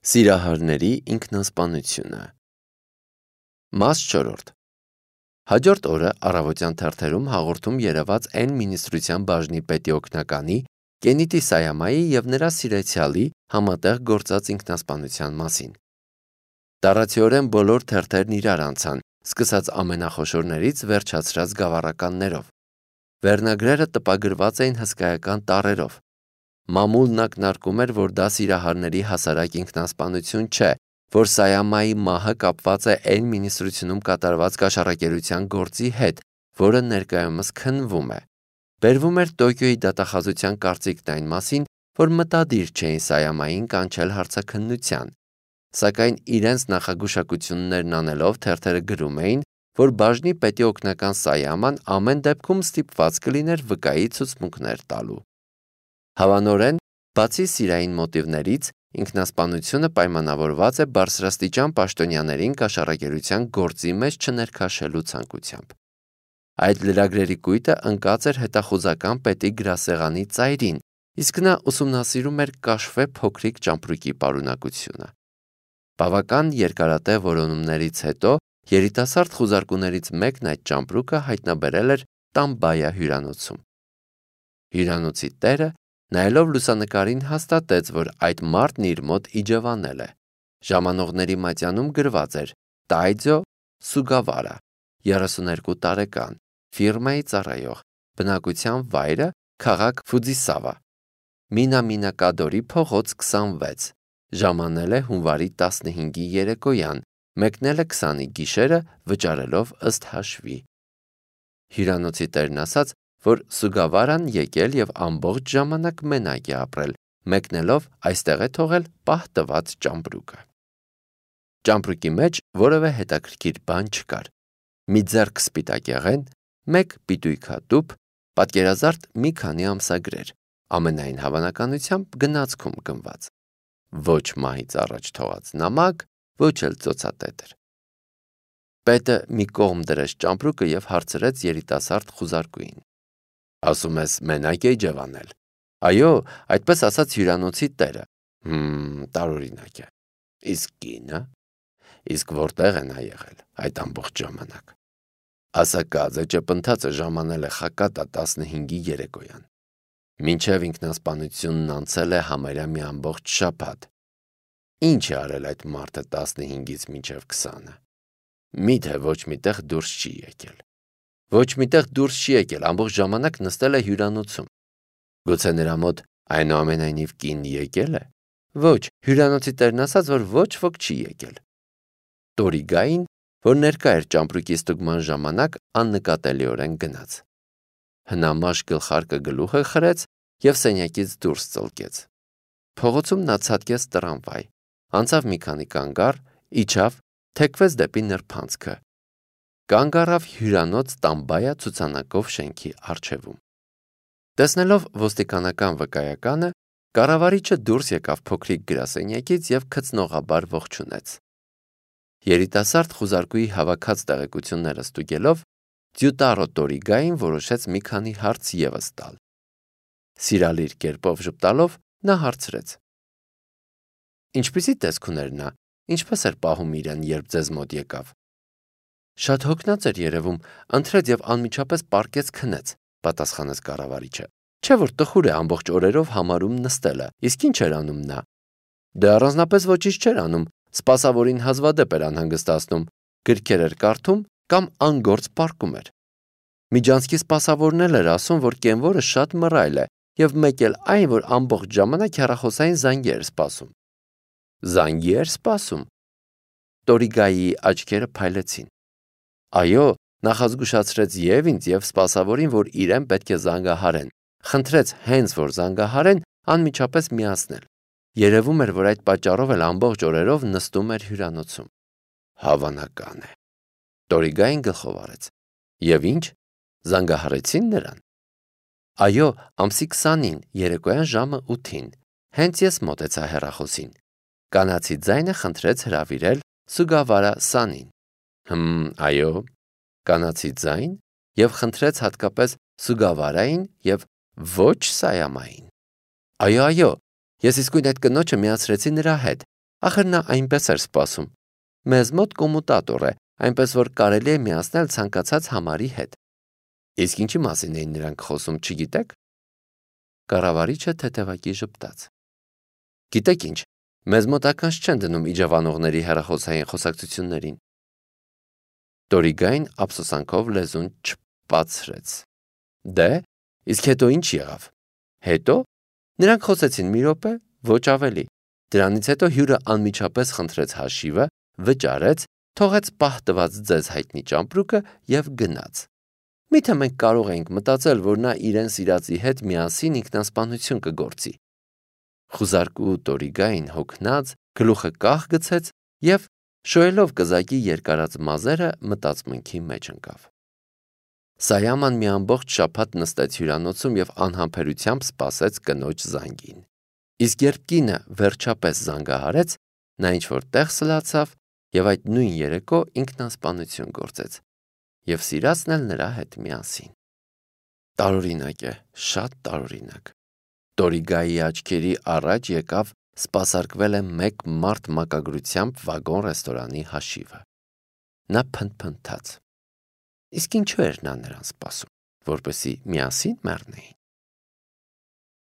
Սիրահարների ինքնասպանությունը։ Մաս 4. Հաջորդ օրը առավոտյան թերթերում հաղորդում երևաց N մինիստրության բաժնի պետի օգնականի Կենիտի Սայամայի և նրա սիրեցյալի համատեղ գործած ինքնասպանության մասին։ Տարածիորեն բոլոր թերթերն իրար անցան, սկսած ամենախոշորներից վերջացրած գավառականներով։ Վերնագրերը տպագրված էին հսկայական տառերով։ Մամուլն ակնարկում էր, որ դա սիրահարների հասարակ ինքնասպանություն չէ, որ Սայամայի մահը կապված է N մինիստրությունում կատարված կաշառակերության գործի հետ, որը ներկայումս քննվում է։ Բերվում էր Տոկիոյի դատախազության կարծիքն այն մասին, որ մտադիր չէին Սայամային կանչել հարցաքննության, սակայն իրենց նախագուշակություններն անելով թերթերը գրում էին, որ բաժնի պետի օգնական Սայաման ամեն դեպքում ստիպված կլիներ վկայի ցուցմունքներ տալու։ Հավանորեն, բացի սիրային մոտիվներից, ինքնասպանությունը պայմանավորված է բարձրաստիճան պաշտոնյաներին կաշառակերության գործի մեջ չներքաշելու ցանկությամբ։ Այդ լրագրերի կույտը ընկած էր հետախուզական պետի գրասեղանի ծայրին, իսկ նա ուսումնասիրում էր կաշվե փոքրիկ ճամպրուկի պարունակությունը։ Բավական երկարատև որոնումներից հետո երիտասարդ խուզարկուներից մեկն այդ ճամպրուկը հայտնաբերել էր Տամբայա հյուրանոցում։ Հյուրանոցի տերը, նայելով լուսանկարին, հաստատեց, որ այդ մարդն իր մոտ իջևանել է։ Ժամանողների մատյանում գրված էր Տայձո Սուգավարա, 32 տարեկան, ֆիրմայի ծառայող, բնակության վայրը քաղաք Ֆուձիսավա, Մինամինակադորի փողոց 26, ժամանել է հունվարի 15-ի երեկոյան, մեկնել է 20-ի գիշերը, վճարելով ըստ հաշվի։ Հյուրանոցի տերն ասաց, որ Սուգավարան եկել և ամբողջ ժամանակ մենակ է ապրել, մեկնելով այստեղ է թողել պահ տված ճամպրուկը։ Ճամպրուկի մեջ որևէ հետաքրքիր բան չկար։ Մի ձեռք սպիտակեղեն, մեկ պիտույտ հատուփ, պատկերազարդ մի քանի ամսագրեր, ամենայն հավանականությամբ գնացքում գնված։ Ոչ մահից առաջ թողած նամակ, ոչ էլ ծոցատետր։ Պետը մի կողմ դրեց ճամպրուկը և հարցրեց երիտասարդ խուզարկուին. Ասում ես մենակ է իջևանել։ Այո, այդպես ասաց հյուրանոցի տերը։ Տարօրինակ է։ Իսկ կինը։ Իսկ որտեղ է նա եղել այդ ամբողջ ժամանակ։ Ասակաձը ճպընթացը ժամանել է Խակատա 15-ի երեկոյան։ Մինչև ինքնասպանությունն անցել է համարյա մի ամբողջ շաբաթ։ Ինչ է արել այդ մարդը 15-ից մինչև 20-ը։ Միթե ոչ միտեղ դուրս չի եկել։ Ոչ միտեղ դուրս չի եկել, ամբողջ ժամանակ նստել է հյուրանոցում։ Գուցե նրա մոտ այնուամենայնիվ կին եկել է։ Ոչ, հյուրանոցի տերն ասաց, որ ոչ ոք չի եկել։ Տորիգային, որ ներկա էր ճամպրուկի ստուգման ժամանակ, աննկատելիորեն գնաց։ Հնամաշ գլխարկը գլուխը խրեց և սենյակից դուրս ծլկեց։ Փողոցում նա ցատկեց տրամվայ, անցավ մի քանի կանգառ, իջավ, թեքվեց դեպի նրբանցքը։ Կանգ առավ հյուրանոց Տամբայա ցուցանակով շենքի առջևում։ Տեսնելով ոստիկանական վկայականը, կառավարիչը դուրս եկավ փոքրիկ գրասենյակից և քծնողաբար ողջունեց։ Երիտասարդ խուզարկուի հավաքած տեղեկությունները ստուգելով, Ձյուտարո Տորիգային որոշեց մի քանի հարց ևս տալ։ Սիրալիր կերպով ժպտալով նա հարցրեց. Ինչպիսի տեսք ուներ նա, ինչպես էր պահում իրեն, երբ ձեզ մոտ եկավ։ Շատ հոգնած էր երևում, ընթրեց և անմիջապես պառկեց քնեց, պատասխանեց կառավարիչը։ Չէ՞ որ տխուր է ամբողջ օրերով համարում նստելը, իսկ ինչ էր անում նա։ Դե առանձնապես ոչինչ չէր անում, սպասավորին հազվադեպ էր անհանգստացնում, գրքեր էր կարդում կամ անգործ պառկում էր։ Միջանցքի սպասավորն էլ էր ասում, որ կենվորը շատ մռայլ է և մեկ էլ այն, որ ամբողջ ժամանակ հեռախոսային զանգի էր սպասում։ Զանգի էր սպասում։ Տորիգայի աչքերը փայլեցին։ Այո, նախազգուշացրեց և ինձ, և սպասավորին, որ իրեն պետք է զանգահարեն, խնդրեց հենց որ զանգահարեն, անմիջապես միացնել։ Երևում էր, որ այդ պատճառով էլ ամբողջ օրերով նստում էր հյուրանոցում։ Հավանական է։ Տորիգային գլխով արեց։ Եվ ինչ, զանգահարեցին նրան։ Այո, ամսի 20-ին, երեկոյան ժամը 8-ին, հենց ես մոտեցա հեռախոսին։ Կանացի ձայնը խնդրեց հրավիրել Սուգավարա Սանին։ Այո, կանացի ձայն և խնդրեց հատկապես Սուգավարային և ոչ Սայամային։ Այո, ես իսկույն այդ կնոջը միացրեցի նրա հետ, Ախր նա այնպես էր սպասում։ Մեզ մոտ կոմուտատոր է, այնպես որ կարելի է միացնել ցանկացած համարի հետ։ Իսկ ինչի մասին էին նրանք խոսում, չգիտեք։ Կառավարիչը թեթևակի ժպտաց։ Գիտեք ինչ, մեզ մոտ ականջ չեն դնում իջևանողների հեռախոսային խոսակցություններին։ Դորիգային ափսոսանքով լեզուն չպացրեց։ Դե, իսկ հետո ինչ եղավ։ Հետո նրանք խոսեցին մի րոպե, ոչ ավելի։ Դրանից հետո հյուրը անմիջապես խնդրեց հաշիվը, վճարեց, թողեց պահ տված ձեզ հայտնի ճամպրուկը եւ գնաց։ Միթե մենք կարող էինք մտածել, որ նա իրեն սիրածի հետ միասին ինքնասպանություն կգործի։ Խուզարկու Դորիգային հոգնած, գլուխը կախ գցեց եւ շոյելով կզակի երկարած մազերը մտածմունքի մեջ ընկավ։ Սայաման մի ամբողջ շաբաթ նստեց հյուրանոցում եւ անհամբերությամբ սպասեց կնոջ զանգին։ Իսկ երբ կինը վերջապես զանգահարեց, նա ինչ-որ տեղ սլացավ եւ այդ նույն երեկո ինքնասպանություն գործեց եւ սիրածն էլ նրա հետ միասին։ Տարօրինակ է, շատ տարօրինակ։ Դորիգայի աչքերի առաջ եկավ սպասարկվել է մեկ մարդ մակագրությամբ վագոն ռեստորանի հաշիվը։ Նա փնթփնթաց։ Իսկ ինչու էր նա նրան սպասում, որպեսզի միասին մեռնեին։